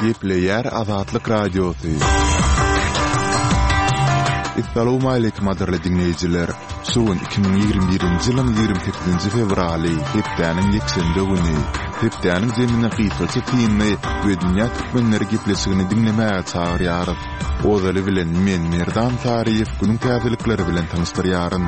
Gepleýär Azatlyk Radiosy. Essalawmaleýkim gadyrly diňleýjiler! Şu gün 2021-nji ýylyň 28-nji fewraly, hepdäniň ýekşenbe güni. Hepdäniň jemine gysgaça synly we dünýä türkmenleri gepleşigini diňlemäge çagyrýarys. Ozaly bilen men Merdan Saryýew günüň täzelikleri bilen tanyşdyrýaryn.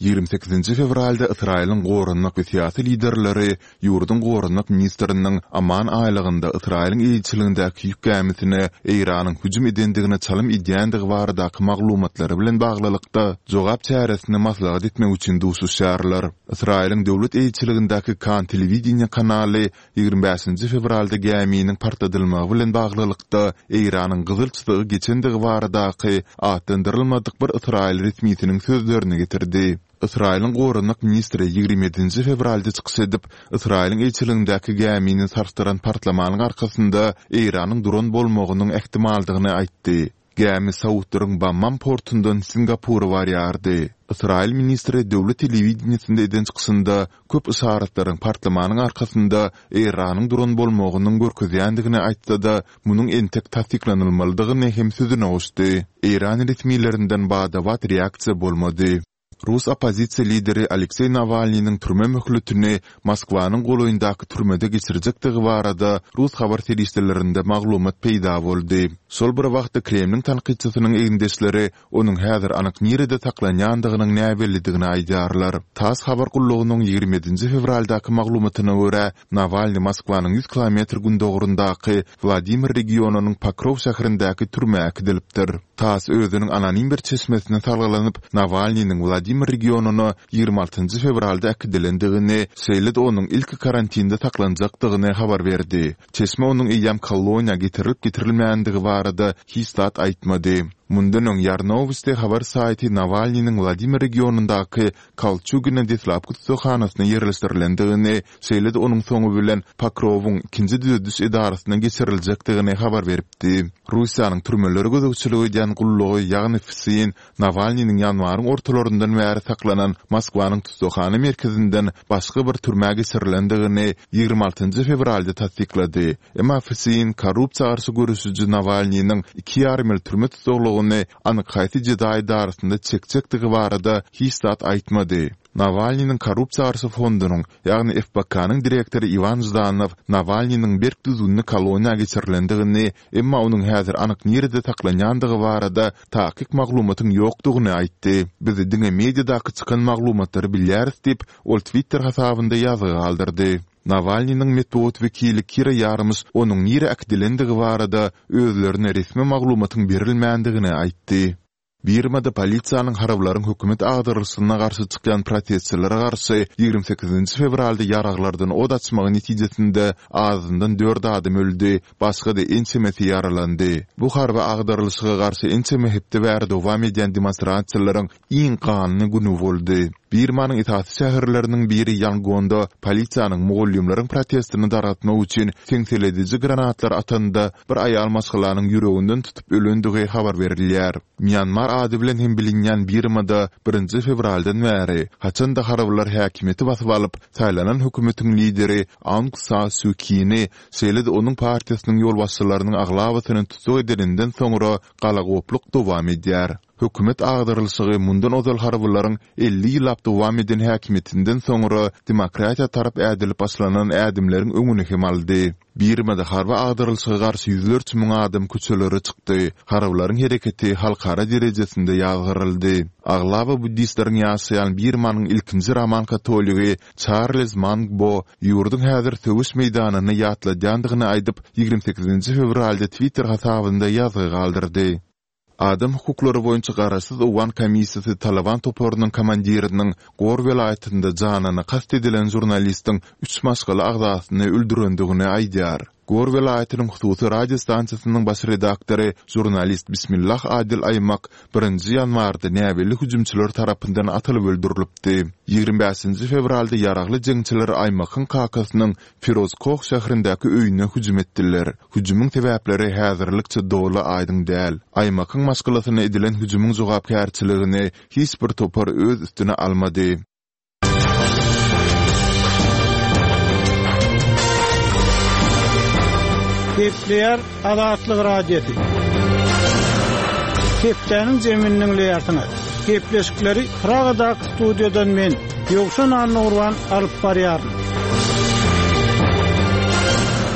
28-nji fewralda Ysraýylyň goranmak we syýasy liderleri ýurduň goranmak ministriniň Oman aýlagynda Ysraýylyň eýeçiligindäki ýük gämisine Eýranyň hüjüm edendigine çalym edýändigi baradaky maglumatlary bilen baglylykda jogap çäresini maslahat etmek üçin duşuşýarlar. Ysraýylyň döwlet eýeçiligindäki Kan telewideniýe kanaly 25-nji fewralda gäminiň partladylmagy bilen baglylykda Eýranyň gyzyl çyzygy geçendigi baradaky atlandyrylmadyk bir ysraýyl resmisiniň sözlerini getirdi. Ysraýylyň goranmak ministri 27-nji fewralda çykyş edip, Ysraýylyň ilçiligindäki gämini sarsdyran partlamanyň arkasynda Eýranyň duran bolmagynyň ähtimaldygyny aýtdy. Gämi saudlaryň Bammam portundan Singapura barýardy. Ysraýyl ministri döwlet telewideniýesinde eden çykyşynda köp yşaratlaryň partlamanyň arkasynda Eýranyň duran bolmagynyň görkezýändigini aýtsa-da, munuň entek tassyklanylmalydygyny hem sözüne goşdy. Eýran resmilerinden bada-bat reaksiýa bolmady. Rus oppozisiýa lideri Alekseý Nawalnynyň türme möhletini Moskwanyň golaýyndaky türmede geçirjekdigi barada rus habar serişdelerinde maglumat peýda boldy. Şol bir wagtda Kremliň tankytçysynyň egindeşleri onuň häzir anyk nirede saklanýandygynyň näbellidigini aýdýarlar. Tass habar gullugynyň 27-nji fewraldaky maglumatyna görä, Nawalnyý Moskwanyň ýüz kilometr gündogaryndaky Wladimir regionynyň Pokrow şäherindäki türmä äkidilipdir. Tass özüniň anonim bir çeşmesine salgylanyp, Nawalnynyň Wladimir regionyna 26-njy fewralda äkidilendigini, şeýle-de onuň ilki karantinde saklanjakdygyny habar berdi. Çeşme onuň eýýäm koloniýa getirilip-getirilmändigi barada hiç zat aýtmady. Mundan öň Ýarnowosti habar saýty Nawalnynyň Wladimir regionyndaky Kolçugina deslapky tussaghanasyna ýerleşdirilendigini, şeýle-de onuň soňy bilen Pokrowyň ikinji düzediş edarasyna geçiriljekdigini habar beripdi. Russiýanyň türmelere gözegçilik edýän gullugy, ýagny FSIN, Nawalnynyň ýanwaryň ortalaryndan bäri saklanan Moskwanyň tussaghana merkezinden başga bir türmä geçirilendigini 26 fewralda tassyklady. Emma FSIN korrupsiýa garşy göreşiji Nawalnynyň iki ýarym ýyl türme tussaglygyny anyk haýsy jeza edarasynda çekjekdigi barada hiç zat aýtmady. Nawalnynyň korrupsiýa garşy fondunyň, ýagny FBK-nyň direktory Iwan Ždanow Nawalnynyň berk düzgünli koloniýa geçirilendigini, emma onuň häzir anyk nirede saklanýandygy barada takyk maglumatyň ýokdugyny aýtdy. Biz diňe mediadaky çykan maglumatlary bilýäris diýip, ol Twitter hasabynda ýazgy galdyrdy. Nawalnynyň metbugat wekili Kira Ýarmyş onuň nirä äkidilendigi barada özlerine resmi maglumatyň berilmändigini aýtdy. Birmada polisiýanyň harbylaryň hökümet agdarylyşyna garşy çykýan protestçilere garşy 28-nji fewralda ýaraglardan ot açmagy netijesinde azyndan dört adam öldi, başga-da ençemesi ýaralandy. Bu harby agdarylyşyga garşy ençeme hepde bäri dowam edýän demonstrasiýalaryň iň ganly güni boldy. Birmanyň esasy şäherleriniň biri Ýangonda polisiýanyň mugallymlaryň protestini dargatmak üçin seňselediji granatlar atanda bir aýal maşgalanyň ýüreginden tutup ölendigi habar berilýär. Mýanmar ady bilen hem bilinýän Birmada birinji fewraldan bäri, haçan-da harbylar häkimiýeti basyp alyp, saýlanan hökümetiň lideri Aung Sa Suu Kini, şeýle-de onuň partiýasynyň ýolbaşçylarynyň aglabasyny tussag edeninden soňra galagopluk dowam edýär. Hökümet agdarylyşygy mundan ozal harbylaryň 50 ýyllap dowam eden häkimiýetinden soňra demokratiýa tarap ädilip başlanan ädimleriň öňüni hem aldy. Birmada harby agdarylyşyga garşy ýüzlerçe müň adam köçelere çykdy, harbylaryň hereketi halkara derejesinde ýazgaryldy. Aglaba buddistleriň ýaşaýan Birmanyň ilkinji roman katoligi Çarlz Mang Bo ýurduň häzir söweş meýdanyny ýatladýandygyny aýdyp, 28-nji fewralda Twitter hasabynda ýazgy galdyrdy. Adam hukuklary boýunça garaşsyz owgan komissiýasy Talyban toparynyň komandiriniň Gor welaýatynda janyna kast edilen žurnalistiň üç maşgala agzasyny öldürendigini aýdýar. Gor welaýatynyň hususy radio stansiýasynyň baş redaktory, žurnalist Bismillah Adil Aýmak birinji ýanwarda näbelli hüjümçiler tarapyndan atylyp öldürilipdi. 25-nji fewralda ýaragly jeňçiler Aýmakyň kakasynyň Firozkoh şäherindäki öýüne hüjüm etdiler. Hüjümiň sebäpleri häzirlikçe doly aýdyň däl. Aýmakyň maşgalasyna edilen hüjümiň jogapkärçiligini hiç bir topar öz üstüne almady. Gepleýär Azatlyk Radiosy. Hepdäniň jemini diňleýärsiňiz. Gepleşikleri Pragadaky studiýadan men, Ýowşan Annagurban alyp barýaryn.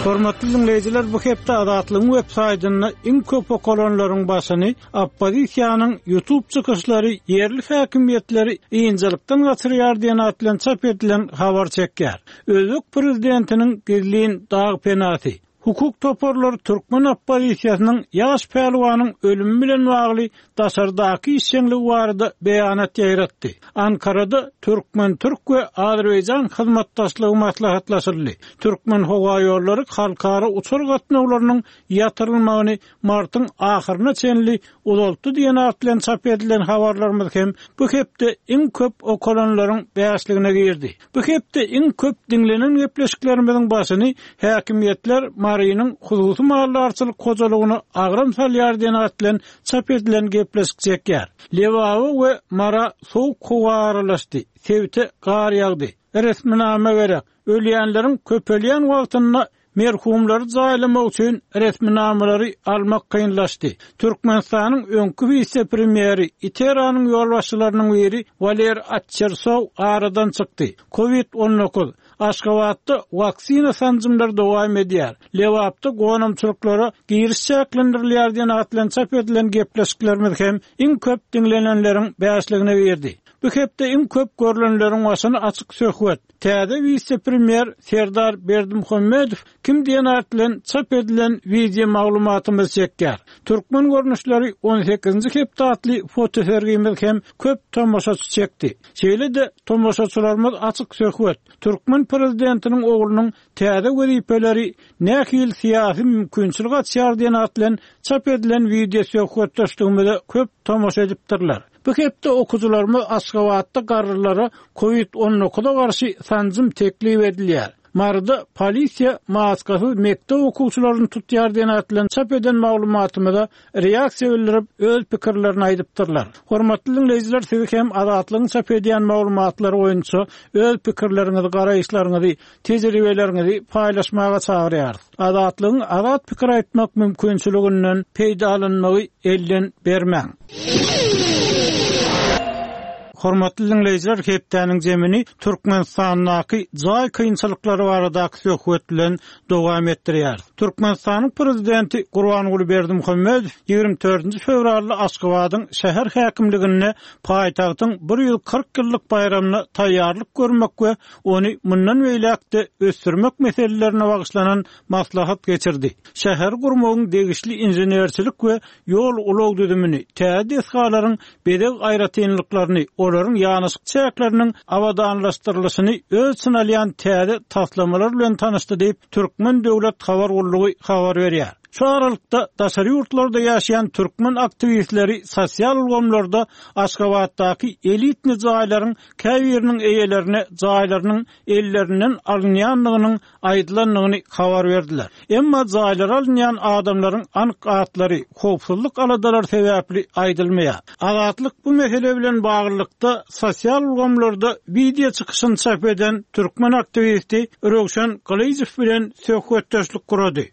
Hormatly diňleýjiler, bu hepde Azatlygyň web saýtynda iň köp okalanlaryň başyny Oppozisiýanyň YouTube çykyşlary ýerli häkimiýetleri ynjalykdan gaçyrýar diýen at bilen çap edilen habar çekýär. Özbek prezidentiniň gizlin dag penasy. Hukuk toparlary türkmen oppozisiýasynyň ýaş pälwanyň ölümi bilen bagly daşardaky işjeňligi barada beýanat ýaýratdy. Ankarada türkmen-türk we azerbaýjan hyzmatdaşlygy maslahatlaşyldy. Türkmenhowaýollary halkara uçar gatnawlarynyň ýatyrylmagyny martyň ahyryna çenli uzaltdy diýen at bilen çap edilen habarlarymyz hem bu hepde iň köp okalanlaryň bäşligine girdi. Bu hepde iň köp diňlenen gepleşiklerimiziň başyny Häkimiýetler Marynyň hususy maldarçylyk hojalygyna agram salýar diýen at bilen çap edilen gepleşik çekýär. Lebaba we Mara sowuk howa aralaşdy, sebite gar ýagdy. Resminama gerek. Ölýänleriň köpelýän wagtynda Merhumlary jaýlamak üçin resminamalary almak kynlaşdy. Türkmenistanyň öňki wise-premýeri, ITERA-nyň ýolbaşçylarynyň biri Waler Atçersow aradan çykdy. Covid 19. Aşgabatda waksina sanjymlary dowam edýär. Lebapda gonamçylyklara giriş çäklendirilýär diýen at bilen çap edilen gepleşiklerimiz hem iň köp diňlenenleriň bäşligine girdi. Bu hepde iň köp görlenleriň başyny açyk söhbet, Täze wise-premýer Serdar Berdimuhamedow kim diýen at bilen çap edilen wideo maglumatymyz çekýär. Türkmen görnüşleri on sekizinji hepde atly fotosergimiz hem köp tomaşaçy çekdi. Şeýle-de tomaşaçylarymyz açyk söhbet, türkmen prezidentiniň oglunyň täze wezipeleri nähili syýasy mümkinçilik açýar diýen at bilen çap edilen wideo söhbetdeşligimize köp tomaşa edipdirler. Bu hepde okyjylarymyz Aşgabatda garrylara Covid 19-a garşy sanjym teklip edilýär. Maryda polisiýa maskasyz mekdep okuwçylaryny tutýar diýen at bilen çap eden maglumatymyza reaksiýa bildirip, öz pikirlerini aýdypdyrlar. Hormatly diňleýjiler siz hem Azatlygyň çap edýän maglumatlary boýunça öz pikirleriňizi, garaýyşlaryňyzy, tejribeleriňizi paýlaşmaga çagyrýarys. Azatlygyň azat pikir aýtmak mümkinçiliginden peýdalanmagy elden bermäň. Hormatly diňleýjiler, hepdäniň jemini Türkmenistandaky jaý kynçylyklary baradaky söhbet bilen dowam etdirýäris. Türkmenistanyň Prezidenti Gurbanguly Berdimuhamedow 24 fewralda Aşgabadyň şäher häkimliginde paýtagtyň 140 ýyllyk baýramyna taýýarlyk görmek we ony mundan beýläk-de ösdürmek meselelerine bagyşlanan maslahat geçirdi. Şäheri gurmagyň degişli inženerçilik we ýol-ulag düzümini, täze desgalaryň bezeg aýratynlyklaryny, olaryň ýanaşyk çäkleriniň abadanlaşdyrylyşyny öz içine alýan täze taslamalar bilen tanyşdy diýip, Türkmen döwlet habar gullugy habar berýär. Şu aralykda, daşary ýurtlarda ýaşaýan türkmen aktiwistleri sosial ulgamlarda Aşgabatdaky elitni jaýlaryň käbiriniň eýelerine jaýlarynyň ellerinden alynýandygynyň aýdylandygyny habar berdiler. Emma jaýlary alynýan adamlaryň anyk atlary howpsuzlyk aladalary sebäpli aýdylmaýar. Azatlyk bu mesele bilen baglylykda sosial ulgamlarda wideo çykyşyny çap eden türkmen aktiwisti Röwşen Gylyjow bilen söhbetdeşlik gurady.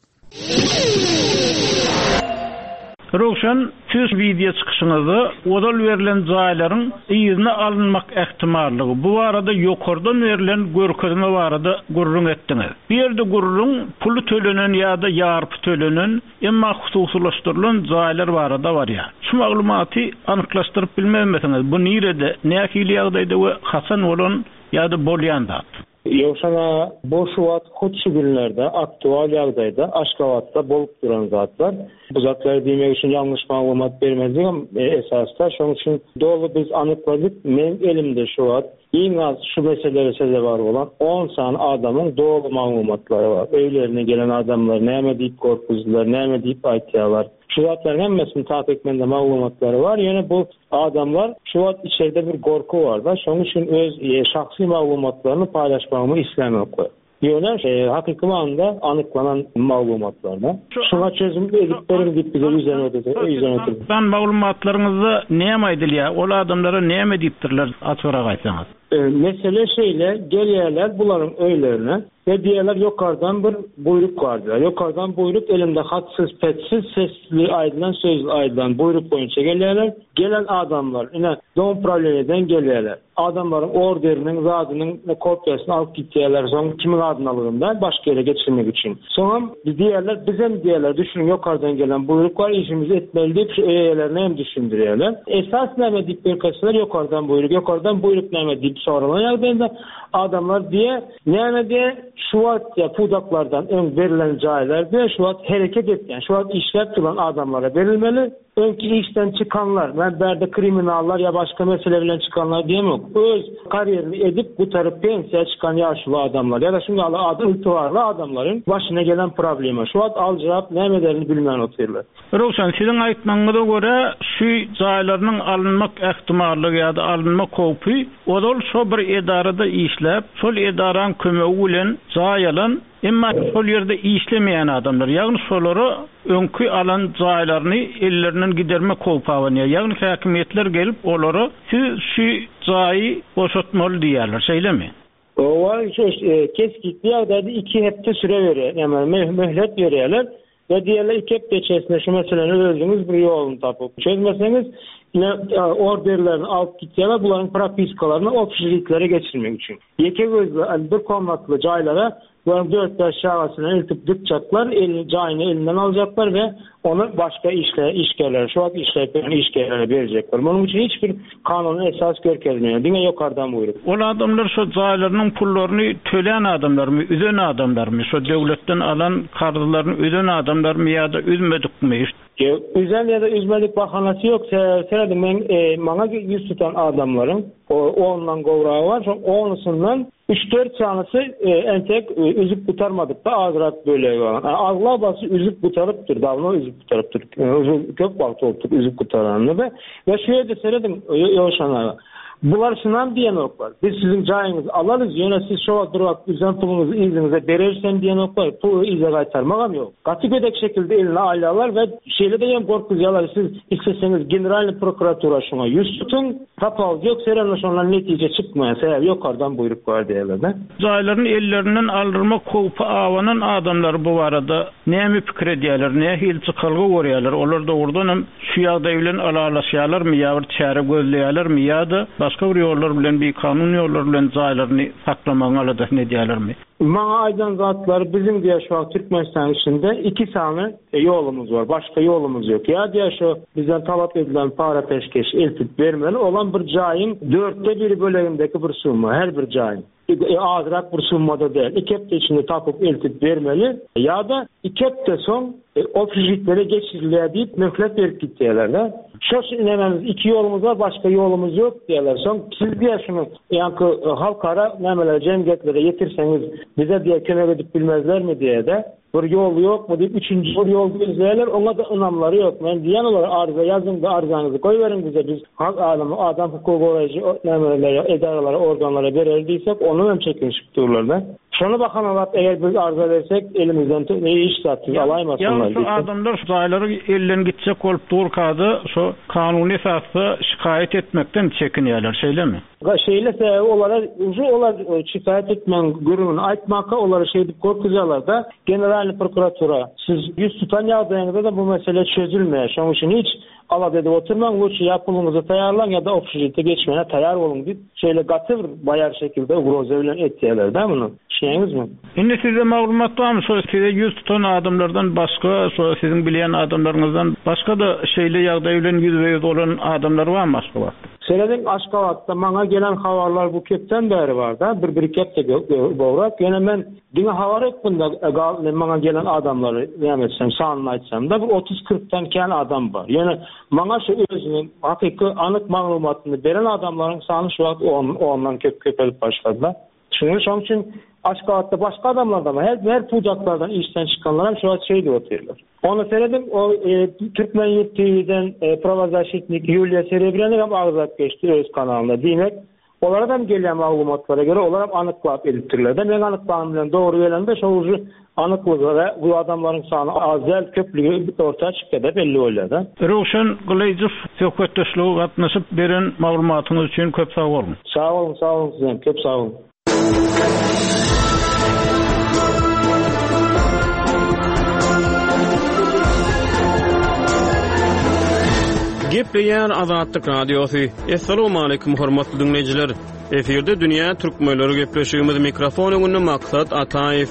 Röwşen, siz wideo çykyşyňyzda ozal berlen jaýlaryň yzyna alynmak ähtimallygy, bu barada ýokardan berlen görkezme barada gürrüň etdiňiz. Bu ýerde gürrüň puly tölenen ýa-da ýarpy tölenen, emma hususylaşdyrylan jaýlar barada barýar. Şu maglumaty anyklaşdyryp bilmezmisiňiz, bu nirede, nähili ýagdaýda we haçan bolan ýa-da bolýan zat? Ýowşan aga, bu şu wagt hut şu günlerde aktual ýagdaýda Aşgabatda bolup duran zatlar. Bu zatlary diýmek üçin ýalňyş maglumat bermezligem esasda. Şonuň üçin doly biz anykladyk. Meň elimde şu wagt iň az şu meselelere sezewar bolan on sany adamyň doly maglumatlary bar. Öýlerine gelen adamlar näme diýip gorkuzdylar, näme diýip aýtýarlar. Şu zatlaryň hemmesiniň takyk mende maglumatlary bar. Ýöne bu Adamlar şu wagt içerde bir gorky barda, şonuň üçin öz şahsy maglumatlaryny paýlaşmagymy islänoklar. Ýöne hakyky manyda anyklanan maglumatlarda. Şuňa çözüm edip beriň diýip bize ýüzlenip Anyklanan maglumatlaryňyzda näme aýdylýar? Ol adamlara näme diýipdirler açybrak aýtsaňyz. Mesele şeýle, gelýärler bularyň öýlerine we diýýärler ýokardan bir buýruk bar diýýär. Ýokardan buýruk elinde hatsyz-petsiz sesli aýdylan sözli aýdylan buýruk boýunça gelýärler. Gelen adamlar ine dom prawleniýeden gelýärler. Adamlaryň orderiniň zadynyň kopiýasyny alyp gitýärler soň kimiň adynalygyny däl başga ýere geçirmek üçin. Soňam diýýärler bizem diýýärler düşüniň ýokardan gelen buýruk bar işimizi etmeli diýip şu öý eýelerine hem düşündirýärler. Esas näme diýip görkezseler ýokardan buýruk ýokardan buýruk näme diýip soralan ýagdaýynda adamlar diýýär näme diýýär şu wagt diýýär pudaklardan öň berlen jaýlar diýýär şu wagt hereket etýän şu wagt işläp duran adamlara berilmeli. Öňki işden çykanlar, men bärde kriminallar ýa başga mesele bilen çykanlar diýemok, öz karýerini edip gutaryp pensiýa çykan ýaşuly adamlar ýa-da şuň ýaly ady ygtybarly adamlaryň başyna gelen problema. Şu wagt aljyrap näme ederini bilmän otyrlar. Röwşen, siziň aýtmagyňyza görä, şu jaýlarynyň alynmak ähtimallygy ýa-da alynmak howpy ozal şo bir edarada işläp, şol edaraň kömegi bilen jaý alan, Emma şol ýerde işlemeýän adamlar, ýagny şolara öňki alan jaýlaryny ellerinden gidermek howpy abanýar. Ýagny häkimiýetler gelip olara siz şu jaýy boşatmaly diýýärler, şeýlemi? Hawa, şu kesgitli ýagdaýda iki hepde süre berýär, ýagny möhlet berýärler we diýýärler iki hepde içerisinde şu meseläni özüňiz bir ýoluny tapyp çözmeseňiz, ine orderlerini alyp gitýärler bularyň propiskalaryny obşežitlere geçirmek üçin. Ýeke gözli, bir komnatly jaýlara bularyň dört-bäş çagasyny eltip dykjaklar, elini, jaýyny elinden aljaklar we ony başga işle, işgärlere, şu wagt işläp ýören işgärlere berjekler. Munuň üçin hiç bir kanuny esas görkezmeýär, diňe ýokardan buýruk. Ol adamlar şo jaýlarynyň pullaryny tölän adamlarmy, üzen adamlarmy, şo döwletden alan karzlaryny üzen adamlarmy ýa-da üzmedikmi? Ýok, üzen ýa-da üzmedik bahanasy ýok. Sebäbi serediň, men maňa ýüz tutan adamlaryň ondan gowragy bar. Şoň onusyndan üç-dört sanysy entek üzüp gutarmadyk-da, azrak bölegi bar. Aglabasy üzüp gutarypdyr, dawno üzüp gutarypdyr. Köp wagt bolupdyr üzüp gutaranyna-da. We şu ýerde serediň, Ýowşan aga. Bular şunam diýenoklar. Biz siziň jaýyňyzy alarys, ýöne siz şo wagt bir wagt üzen puluňyzy yzyňyza bereris hem diýenoklar. Puly yza gaýtarmagam ýok. Gaty gödek şekilde eline alýarlar we şeýle-de hem gorkuzýarlar, siz isleseňiz Generalnyý prokuratura şuňa ýüz tutuň, tapawudy ýok, seremde şondan netije çykmaýar, sebäbi ýokardan buýruk bar diýýärler-de. Jaýlaryny ellerinden aldyrmak howpy abanan adamlar bu barada näme pikir edýärler, nähili çykalga görýärler, olar dogrudanam Şu ýagdaý bilen ylalaşýarlarmy ýa bir çäre gözleýärlermi ýa-da başga bir ýollar bilen bikanun ýollar bilen jaýlaryny saklamagyň aladasyny edýärlermi? Maňa aýdan zatlary biziň diýýär şu wagt Türkmenistanyň içinde iki sany ýolumyz bar başga ýolumyz ýok ýa diýýär şu bizden talap edilen para peşgeş eltip bermeli olam bir jaýyň dörtde biri bölegindeki bir summa her bir jaýyň. Azrak bir summada däl, iki hepde içinde tapyp eltip bermeli ýa-da iki hepde soň obşežitlere geçirilýär diýip möhlet berip gitýärler-de. Şo nämemiz iki ýolumyz bar, başga ýolumyz ýok diýýärler. Soň siz diýýär şuny ýaňky halkara nämelere, jemgyýetlere ýetirseňiz bize diýýär kömek edip bilmezlermi diýýär-de. Bir ýol ýokmy diýip üçünji bir ýol gözleýärler, oňa-da ynamlary ýok. Men diýýän olara arza ýazyň-da arzaňyzy goýberiň bize, biz hak adamy, adam hukugy goraýjy nämelere, edaralara, organlara bereris diýsek, ondan hem çekinişip durlar-da. Şony bahanalap eger biz arza bersek, elimizden hiç zat siz alaýmasynlar Ýagny şu adamlar şu jaýlary elden gitjek bolup durka-da şo kanuny esasda şikaýat etmekden çekinýärler, şeýlemi? Şeýle sebäbi olara uje olar şikaýat etmegiň gürrüňini aýtmaka olary şeýdip gorkuzýarlarda Generalnyý prokuratura siz ýüz tutan ýagdaýyňyzda-da bu mesele çözülmeýär şonuň üçin hiç alada edip oturmaň lutşy ýa puluňyzy taýýarlaň ýa-da obşežitde geçmäne taýýar boluň diýip şeýle gaty bir baýar şekilde ugroza bilen etýärler-dä muny düşünýäňizmi? Indi sizde maglumat barmy şo size ýüz tutan adamlardan başga şo siziň bilýän adamlaryňyzdan başga-da şeýle ýagdaý bilen ýüzbe-ýüz bolan adamlar barmy Aşgabatda? Serediň Aşgabatda maňa gelen habarlar bu kepden bäri barda, bir bir iki hepde gowrak, ýöne men diňe habar hökmünde maňa gelen adamlary näme etsem sanyny aýtsamda bir otuz kyrkdan kän adam bar. Ýöne maňa şu özüniň hakyky anyk maglumatyny beren adamlaryň sany şu wagt ondan köp köpelip başladyda. Şunuň şonuň üçin Aşgabatda başga adamlardam her her pudaklardan işden çykanlar hem şu wagt şeýdip otyrlar. Onda serediň o Türkmen ýurt TVden prawozaşitnik Ýuliýa Serebrýanik hem agzap geçdi öz kanalynda. Diýmek, Olaradam gelýän maglumatlara görä olaram anyklap edipdirler-de. Meň anyklanym bilen dogry gelende şol ujy anyklyga bu adamlaryň sany az däl, köplügi orta çykýar-da, belli bolýar-da. Röwşen Gylyjow söhbetdeşlige gatnaşyp beren maglumatyňyz üçin köp sag boluň. Sag boluň, sag boluň sizem, köp sag boluň. Gepleýär Azatlyk Radiosy. Assalamualaikum hormatly diňleýjiler. Efirde dünýä türkmenleri gepleşigimiz mikrofon öňünde Maksat Ataýew.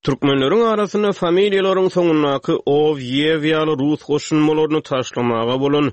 Türkmenleriň arasynda familiýalaryň soňundaky ow, ýew ýaly rus goşulmalaryny taşlamaga bolan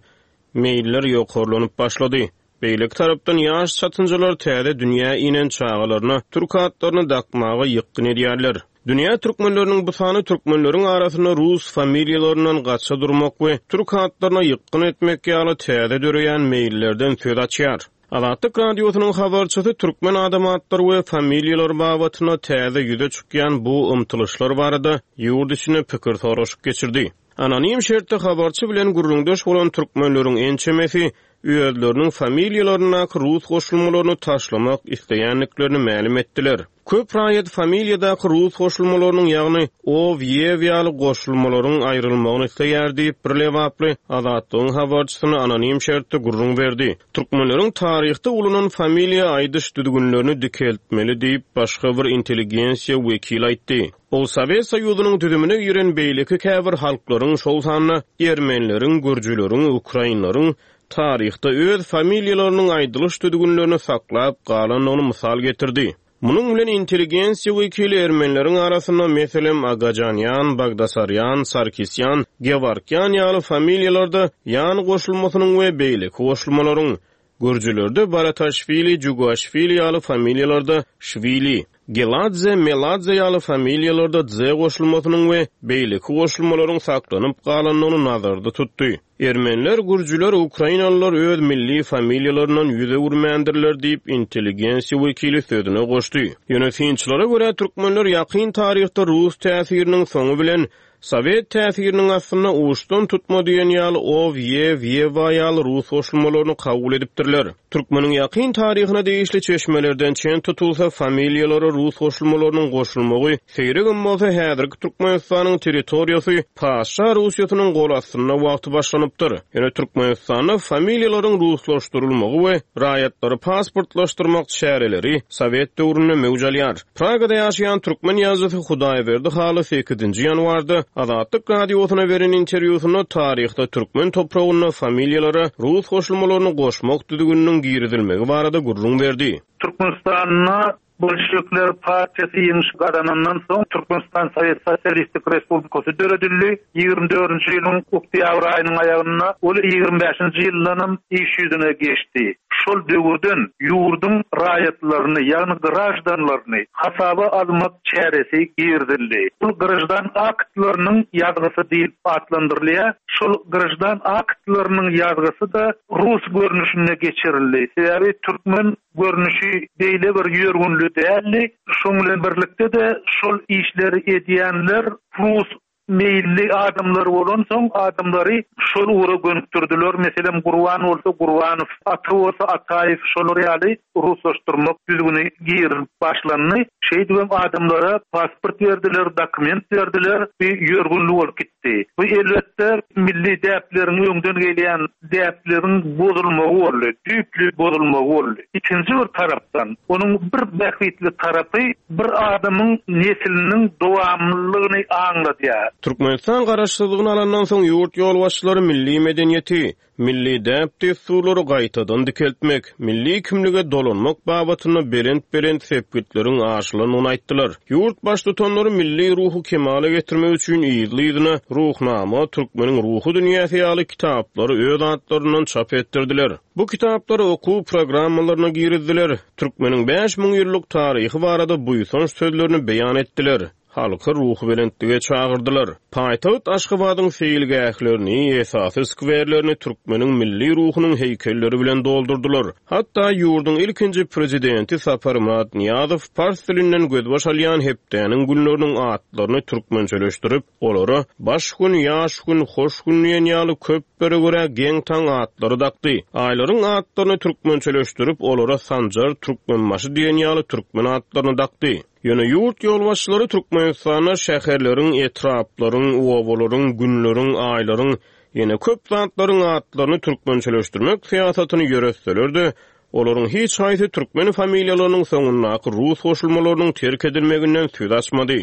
meýiller ýokarlanyp başlady. Beýleki tarapdan ýaş çatynjalar täze dünýä inen çagalaryna türk atlaryny dakmaga ýykgyn edýärler. Dünýä türkmenleriniň bu sany türkmenleriň arasynda rus familiýalaryndan gaça durmak we türk atlaryna ýykgyn etmek ýaly täze döreýän meýillerden söz açýar. Azatlyk Radiosynyň habarçysy türkmen adam atlary we familiýalary babatynda täze ýüze çykýan bu ymtylyşlar barada ýurt içinde pikir soraşyk geçirdi. Anonim şertde habarçy bilen gürrüňdeş bolan türkmenleriň ençemesi özleriniň familiýalaryndaky rus goşulmalaryny taşlamak isleýändiklerini mälim etdiler. Köp raýat familiýadaky rus goşulmalarynyň, ýagny ow, ýew ýaly goşulmalaryň aýrylmagyny isleýär diýip, bir lebaply Azatlygyň habarçysyna anonim şertde gürrüň berdi. Türkmenleriň taryhda ulanan familiýa aýdyş düzgünlerini dikeltmeli diýip, başga bir intelligensiýa wekili aýtdy. Ol Sowet Soýuzynyň düzümine giren beýleki käbir halklaryň, şol sanda ermenileriň, gürjüleriň, ukrainleriň taryhda öz familiýalarynyň aýdylyş düzgünlerini saklap galandygyny mysal getirdi. Munuň bilen intelligensiýa wekili ermenileriň arasynda, meselem, Agajanýan, Bagdasarýan, Sarkisýan, Gewarkýan ýaly familiýalarda ýan goşulmasynyň we beýleki goşulmalaryň, gürjülerde Barataşwili, Jugaşwili ýaly familiýalarda şwili, Geladze, Meladze ýaly familiýalarda dze goşulmasynyň we beýleki goşulmalaryň saklanyp galandygyny nazarda tutdy. Ermeniler, gürjüler, ukrainalylar öz milli familiýalaryndan ýüz öwürmändirler diýip, intelligensiýa wekili sözüne goşdy. Ýöne synçylara görä, türkmenler ýakyn taryhda rus täsiriniň soňy bilen Sowet täsiriniň astynda uçdan tutma diýen ýaly ow, ýew, ýewa ýaly rus goşulmalaryny kabul edipdirler. Türkmeniň ýakyn taryhyna degişli çeşmelerden çen tutulsa, familiýalara rus goşulmalarynyň goşulmagy seýregem bolsa häzirki Türkmenistanyň territoriýasy patyşa Russiýasynyň gol astynda wagty başlanypdyr. Ýöne Türkmenistanda familiýalaryň ruslaşdyrylmagy we raýatlary pasportlaşdyrmak çäreleri sowet döwründe möwç alýar. Pragada ýaşaýan türkmen ýazyjysy Hudaýberdi Haly sekizinji ýanwarda Azatlyk Radiosyna beren interwýusynda taryhda türkmen topragynda familiýalara rus goşulmalaryny goşmak düzgüniniň girizilmegi barada gürrüň berdi. Türkmenistanda Bolşewikler partiýasy ýeňiş gazanandan soň Türkmenistan Sowet Sosialistik Respublikasy döredildi. 24-nji ýylyň oktýabr aýynyň aýagynda, ol 25-nji ýyldanam iş ýüzüne geçdi. Şol döwürden ýurduň raýatlaryny, ýagny graždanlaryny hasaba almak çäresi girizildi. Ol graždan aktlarynyň ýazgysy diýlip atlandyrylýar. Şol graždan aktlarynyň ýazgysy-da rus görnüşinde geçirildi. Sebäbi türkmen görnüşi beýle bir ýörgünli däldi. Şoň bilen birlikde-de şol işleri edýänler rus meýilli adamlar bolansoň, adamlary şol ugra gönükdirdiler. Meselem, Gurban bolsa Gurbanow, Ata bolsa Ataýew şolar ýaly ruslaşdyrmak düzgüni girizilip başlandy. Şeýdibem adamlara pasport berdiler, dokument berdiler. Bu ýörgünli bolup gitdi. Bu elbetde milli däpleriň öňden gelýän däpleriň bozulmagy boldy, düýpli bozulmagy boldy. Ikinji bir tarapdan, onuň bir bähbitli tarapy bir adamyň nesliniň dowamlylygyny aňladýar. Türkmenistan Garaşsyzlygyny alandan soň ýurt ýolbaşçylary milli medeniýeti, milli däp-dessurlary gaýtadan dikeltmek, milli kimlige dolanmak babatynda belent-belent sepgitleriň aşylandygyny aýtdylar. Ýurt Baştutanlary milli ruhy kemala getirmek üçin yzly-yzyna Ruhnama, Türkmeniň ruhy dünýäsi ýaly kitaplary öz atlaryndan çap etdirdiler. Bu kitaplary okuw programmalaryna girizdiler, türkmeniň 5000 ýyllyk taryhy barada buýsanç sözlerini beýan etdiler. Halky ruhubelentlige çagyrdylar. Paýtagt Aşgabadyň seýilgählerini, esasy skwerlerini türkmeniň milli ruhunyň heýkelleri bilen doldurdylar. Hatda ýurduň ilkinji Prezidenti Saparmyrat Nyýazow pars dilinden gözbaş alýan hepdäniň günleriniň atlaryny türkmençeleşdirip, olara Baş gün, Ýaş gün, Hoş gün diýen ýaly köplere görä geň-taň atlary dakdy. Aýlaryň atlaryny türkmençeleşdirip, olara Sanjar, Türkmenbaşy diýen ýaly türkmen atlaryny dakdy. Ýöne ýurt ýolbaşçylary Türkmenistanda şäherleriň, etraplaryň, obalaryň, günleriň, aýlaryň, ýene köp zatlaryň atlaryny türkmençeleşdirmek syýasatyny ýöretseler-de, olaryň hiç haýsy türkmen familiýalarynyň soňundaky rus goşulmalarynyň terk edilmeginden söz açmady.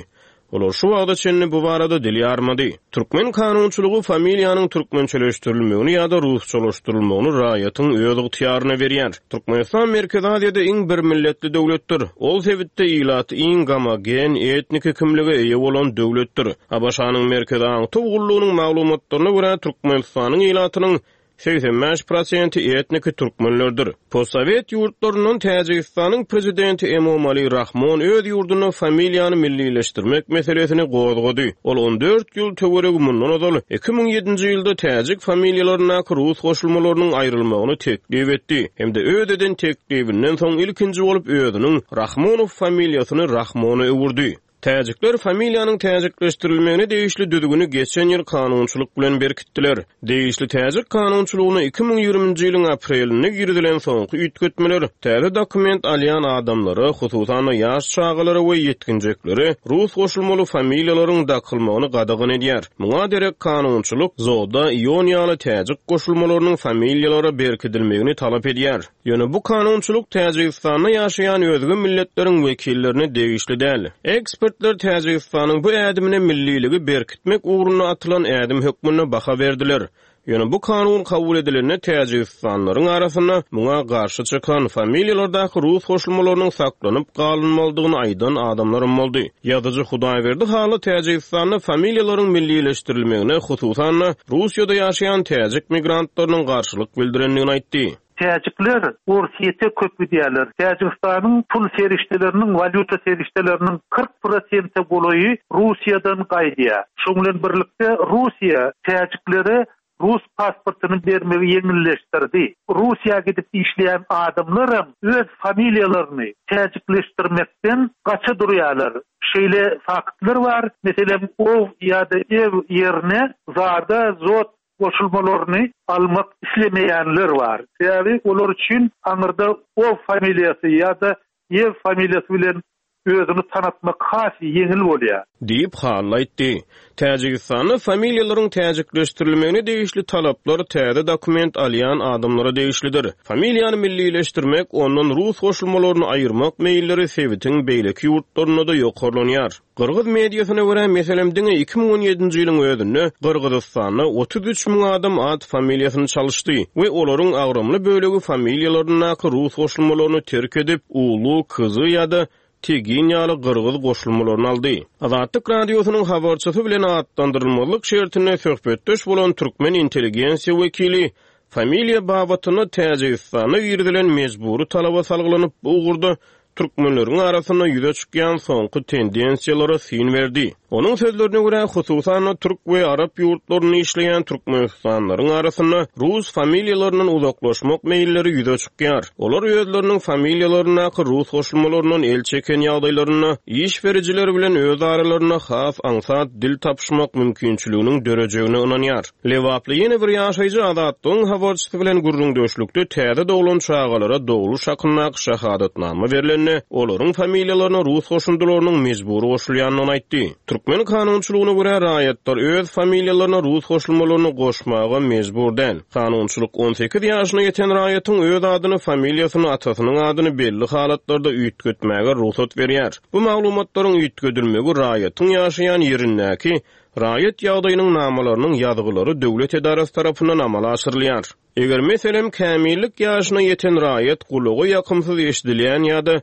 Olar şu wagta çenli bu barada dil ýarmady. Türkmen kanunçylygy familiýanyň türkmençeleşdirilmegini ýa-da rusçalaşdyrylmagyny raýatyň öz ygtyýaryna berýär. Türkmenistan Merkezi Aziýada iň birmilletli döwletdir. Ol sebitde ilaty iň gomogen etniki kimlige eýe bolan döwletdir. ABŞ-nyň Merkezi aňtaw gullugynyň maglumatlaryna görä, Türkmenistanyň ilatynyň 85 prosenti etniki türkmenlerdir. Postsowet ýurtlaryndan Täjigistanyň prezidenti Emomali Rahmon öz ýurdunda familiýany millileşdirmek meselesini gozgady. Ol 14 ýyl töweregi mundan ozal, 2007-nji ýylda täjik familiýalaryndaky rus goşulmalarynyň aýrylmagyny teklip etdi hem-de öz eden teklibinden soň ilkinji bolup özüniň Rahmonow familiýasyny Rahmona öwürdi. Täjikler familiýanyň täjikleşdirilmegine degişli düzgüni geçen ýyl kanunçylyk bilen berkitdiler. Degişli täjik kanunçylygyna 2020-nji ýylyň aprelinde girizilen soňky üýtgetmeler täze dokument alýan adamlara, hususan-da ýaş çagalara we ýetginjeklere rus goşulmaly familiýalaryň dakylmagyny gadagan edýär. Muňa derek kanunçylyk zoda, ion ýaly täjik goşulmalarynyň familiýalara berkidilmegini talap edýär. Ýöne bu kanunçylyk Täjigistanda ýaşaýan özge milletleriň wekillerine degişli däl. Ekspertler Täjigistanyň bu ädimine milliligi berkitmek ugrunda atylan ädim hökmünde baha berdiler. Ýöne bu kanun kabul edilende täjigistanlylaryň arasynda muňa garşy çykan, familiýalardaky rus goşulmalarynyň saklanyp galynmalydygyny aýdan adamlaram boldy. Ýazyjy Hudaýberdi Hally Täjigistanda familiýalaryň millileşdirilmegine, hususan-da, Russiýada ýaşaýan täjik migrantlarynyň garşylyk bildirendigini aýtdy. Täjikler Orsýete köp gidýärler. Täjigistanyň pul serişdeleriniň, walýuta serişdeleriniň 40 prosente golaýy Russiýadan gaýdýar. Şoň bilen birlikde Russiýa täjiklere rus pasportyny bermegi ýeňilleşdirdi. Russiýa gidip işleýän adamlaram öz familiýalaryny täjikleşdirmekden gaça durýarlar. Şeýle faktlar bar, meselem, ow ýa-da ew ýerine zada, zot goşulmalaryny almak islemeýänler bar. Sebäbi olar üçin aňyrda ow familiýasy ýa-da ýew familiýasy bilen özüňi tanatmak has ýeňil bolýar. Diýip, Hally aýtdy. Täjigistanda familiýalaryň täjikleşdirilmegine degişli talaplar täze dokument alýan adamlara degişlidir. Familiýany millileşdirmek, ondan rus goşulmalaryny aýyrmak meýilleri sebitiň beýleki ýurtlarynda-da ýokarlanýar. Gyrgyz mediasyna görä, meselem, diňe 2017-nji ýylyň özünde Gyrgyzystanda 33 müň adam at-familiýasyny çalyşdy we olaryň agramly bölegi familiýalaryndaky rus goşulmalaryny terk edip, ulu, kyzy ýa-da tegin ýaly gyrgyz goşulmalaryny aldy. Azatlyk Radiosynyň habarçysy bilen atlandyrylmazlyk şertinde söhbetdeş bolan türkmen intelligensiýa wekili familiýa babatynda Täjigistanda girizilen mejbury talaba salgylanyp, bu ugurda türkmenleriň arasynda ýüze çykýan soňky tendensiýalara syn berdi. Onuň sözlerine görä, hususan-da, türk we arap ýurtlarynda işleýän türkmenistanlylaryň arasynda rus familiýalaryndan uzaklaşmak meýilleri ýüze çykýar. Olar özleriniň familiýalaryndaky rus goşulmalaryndan el çeken ýagdaýlarynda, iş berijiler bilen öz aralarynda has aňsat dil tapyşmak mümkinçiliginiň dörejegine ynanýar. Lebaply ýene bir ýaşaýjy Azatlygyň habarçysy bilen gürrüňdeşlikde täze doglan çagalara dogluş hakyndaky şahadatnama berlende, olaryň familiýalaryna rus goşundylarynyň mejbury goşulýandygyny aýtdy. Türkmen kanunçylygyna görä, raýatlar öz familiýalaryna rus goşulmalaryny goşmaga mejbur däl. Kanunçylyk 18 ýaşyna ýeten raýatyň öz adyny, familiýasyny, atasynyň adyny belli halatlarda üýtgetmäge rugsat berýär. Bu maglumatlaryň üýtgedilmegi raýatyň ýaşaýan ýerindäki Raýat ýagdaýynyň namalarynyň ýazgylary döwlet edarasy tarapyndan amala aşyrylýar. Eger, meselem, kämillik ýaşyna ýeten raýat gulaga ýakymsyz eşidilýän ýa-da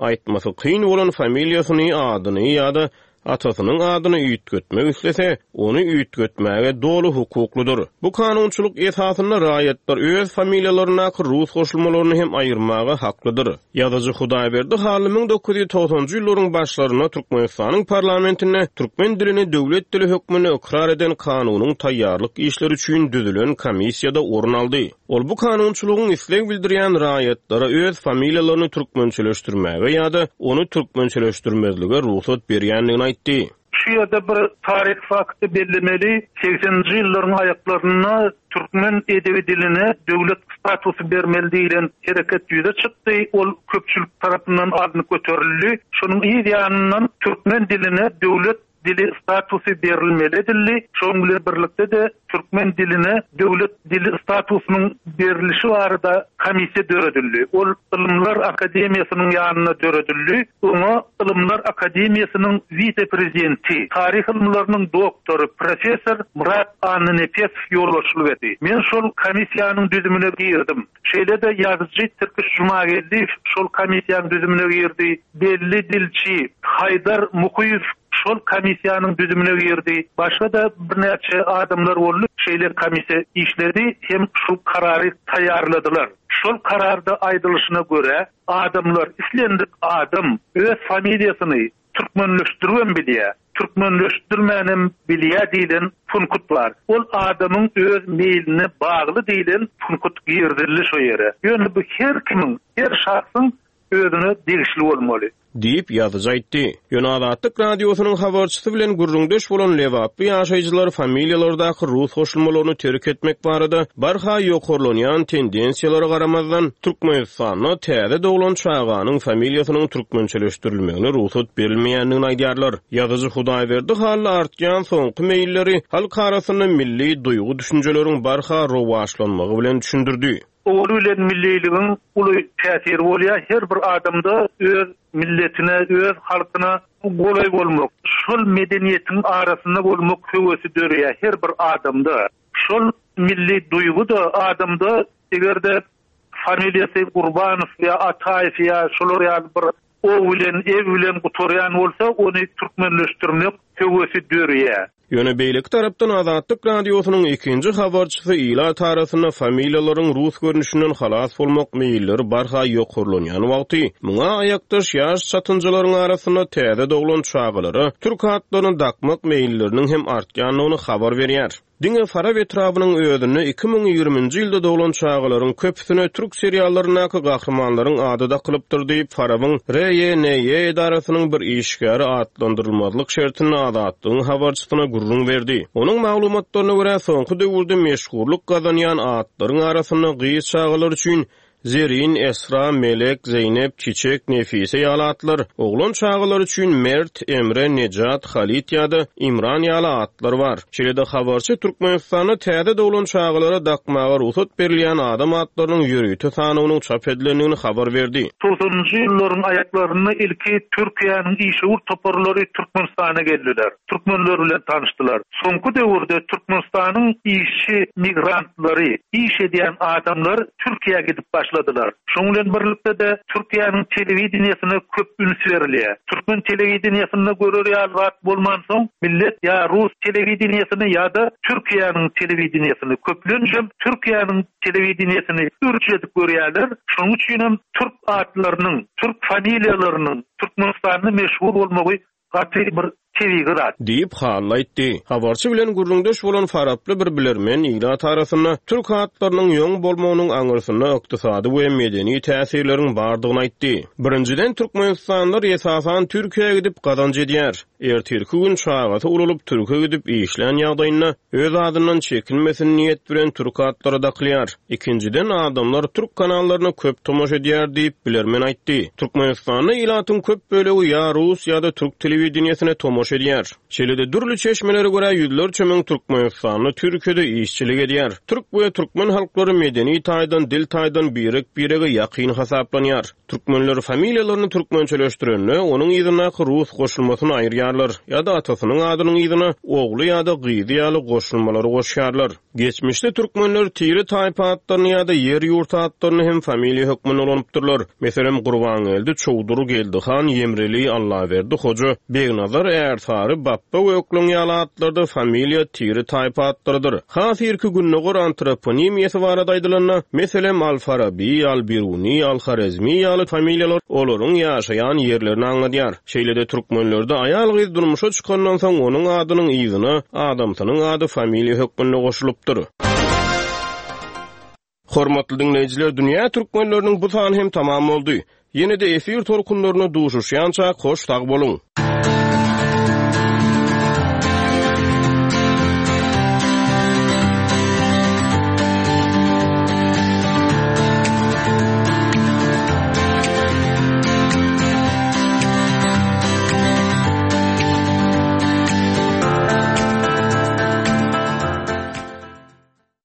aýtmasy kyn bolan familiýasyny, adyny ýa-da atasynyň adyny üýtgetmek islese, ony üýtgetmäge doly hukuklydyr. Bu kanunçylyk esasynda raýatlar öz familiýalaryndaky rus goşulmalaryny hem aýyrmaga haklydyr. Ýazyjy Hudaýberdi Hally 1990-njy ýyllaryň başlarynda Türkmenistanyň parlamentinde türkmen dilini döwlet dili hökmünde ykrar eden kanunyň taýýarlyk işleri üçin düzülen komissiýada orun aldy. Ol bu kanunçylygyň isleg bildirýän raýatlara öz familiýalaryny türkmençeleşdirmäge ýa-da ony türkmençeleşdirmezlige rugsat berýändigini aýtdy. Şu ýerde bir taryhy fakty bellemeli, segseninji ýyllaryň aýaklarynda türkmen edebi diline döwlet statusy bermeli diýlen hereket ýüze çykdy, ol köpçülik tarapyndan alnyp göterildi. Şonuň yz ýanyndan türkmen diline döwlet dili statusy berilmeli edildi. Şonuň bilen birlikde-de türkmen diline döwlet dili statusynyň berlişi barada komissiýa döredildi. Ol Ylymlar akademiýasynyň ýanynda döredildi. Oňa Ylymlar akademiýasynyň wise-prezidenti, taryh ylymlarynyň doktory, professor Myrat Annanepesow ýolbaşçylyk etdi. Men şol komissiýanyň düzümine girdim. Şeýle-de ýazyjy Tirkiş Jumageldiýew şol komissiýanyň düzümine girdi. Belli dilçi Haýdar Mukyýew şol komissiýanyň düzümine girdi. Başga-da birnäçe adamlar boldy. Şeýle komissiýa işledi hem şol karary taýýarladylar. Şol kararda aýdylyşyna görä, adamlar, islendik adam öz familiýasyny Türkmenleşdiribem bilýär, türkmenleşdirmänem bilýär diýlen punkut bar. Ol adamyň öz meýline bagly diýlen punkut girizildi şo ýere. Ýöne bu her kimiň, her şahsyň özüne degişli bolmaly. Diýip, ýazyjy aýtdy. Ýöne Azatlyk Radiosynyň habarçysy bilen gürrüňdeş bolan lebaply ýaşaýjylar familiýalardaky rus goşulmalaryny terk etmek barada barha ýokarlanýan tendensiýalara garamazdan, Türkmenistanda täze doglan çaganyň familiýasynyň türkmençeleşdirilmegine rugsat berilmeýändigini aýdýarlar. Ýazyjy Hudaýberdi Hally artýan soňky meýilleri halk arasynda milli duýgy-düşünjeleriň barha rowaçlanmagy bilen düşündirdi. Ogly bilen milliligiň uly täsiri bolýar. Her bir adamda öz milletine, öz halkyna golaý bolmak, şol medeniýetiň arasynda bolmak höwesi döreýär her bir adamda. Şol milli duýgy-da adamda eger-de familiýasy Gurbanow ýa Ataýew ýa şolar ýaly bir o bilen, e bilen gutarýan bolsa, ony türkmenleşdirmek höwesi dörýär. Ýöne beýleki tarapdan Azatlyk Radiosynyň ikinji habarçysy ilat arasynda familiýalaryň rus görnüşinden halas bolmak meýilleri barha ýokarlanýan wagty, muňa aýakdaş ýaş çatynjalaryň arasynda täze doglan çagalara türk atlaryny dakmak meýilleriniň hem artýandygyny habar berýär. Diňe Farap etrabynyň özünde 2020-nji ýylda doglan çagalaryň köpüsine türk seriallaryndaky gahrymanlaryň ady dakylypdyr diýip, Farabyň RYNY edarasynyň bir işgäri atlandyrylmazlyk şertinde Azatlygyň habarçysyna gürrüň berdi. Onuň maglumatlaryna görä, soňky döwürde meşhurlyk gazanýan atlaryň arasynda gyz çagalar üçin Zerin, Esra, Melek, Zeýnep, Çiçek, Nefise ýaly atlar, oglan çagalar üçin Mert, Emre, Nejat, Halit ýa-da Imran ýaly atlar bar. Şeýle-de habarçy Türkmenistanda täze doglan çagalara dakmaga rugsat berilýän adam atlarynyň ýörite sanawynyň çap edilendigini habar berdi. Togsanynjy ýyllaryň aýaklarynda ilki Türkiýäniň işewür toparlary Türkmenistana geldiler. Türkmenler bilen tanyşdylar. Soňky döwürde Türkmenistanyň işçi migrantlary, iş edýän adamlar Türkiýä gidip başladylar. Şonuň bilen birlikde-de Türkiýäniň telewideniýesine köp üns berilýär. Türkmen telewideniýesinde görer ýaly zat bolmansoň, millet ýa rus telewideniýesini ýa-da Türkiýäniň telewideniýesini, köplençem Türkiýäniň telewideniýesini ürç edip görýärler. Şonuň üçinem türk atlarynyň, türk familiýalarynyň Türkmenistanda meşhur bolmagy Gaty bir tebigy zat. Diýip, Hally aýtdy. Habarçy bilen gürrüňdeş bolan faraply bir bilermen ilat arasynda türk atlarynyň ýoň bolmagynyň aňyrsynda ykdysady we medeni täsirleriň bardygyny aýtdy. Birinjiden, türkmenistanlylar esasan Türkiýä gidip gazanç edýär. Ertirki gün çagasy ulalyp türke gidip işlän ýagdaýynda öz adyndan çekinmesin niýet bilen türk atlary dakylýar. Ikinjiden, adamlar türk kanallaryna köp tomaşa edýär diýip, bilermen aýtdy. Türkmenistanda ilatyň köp bölegi ýa rus, ýa-da türk telewideniýesine tomaşa edýär. Şeýle-de, dürli çeşmelere görä, ýüzlerçe müň türkmenistanly Türkiýede işçilik edýär. Türk we türkmen halklary medeni taýdan, dil taýdan birek-birege ýakyn hasaplanýar. Türkmenler familiýalaryny türkmençeleşdirende, onuň yzyndaky rus goşulmasyny aýyrýarlar ýa-da atasynyň adynyň yzyna ogly ýa-da gyzy ýaly goşulmalary goşýarlar. Geçmişde türkmenler tire-taýpa atlaryny ýa-da ýer-ýurt atlaryny hem familiýa hökmünde ulanypdyrlar. Meselem, Gurbangeldi, Çowdur, Geldihan, Ýemreli, Allaberdi hoja, Begnazar, Ärsary, Bapba Gökleň ýaly atlar-da familiýa, tire, taýpa atlarydyr. Has irki gündogar antroponimiýasy barada aýdylanda, meselem, Al-Faraby, Al-Biruni, Al-Horezmi ýaly familiýalar olaryň ýaşaýan ýerlerini aňladýar. Şeýle-de türkmenlerde aýal-gyz durmuşa çykandan soň onuň adynyň yzyna adamsynyň ady familiýa hökmünde goşulypdyr. Hormatly diňleýjiler, Dünýä türkmenleriniň bu sany hem tamam boldy. Ýene-de efir tolkunlarynda duşuşýançak hoş sag boluň!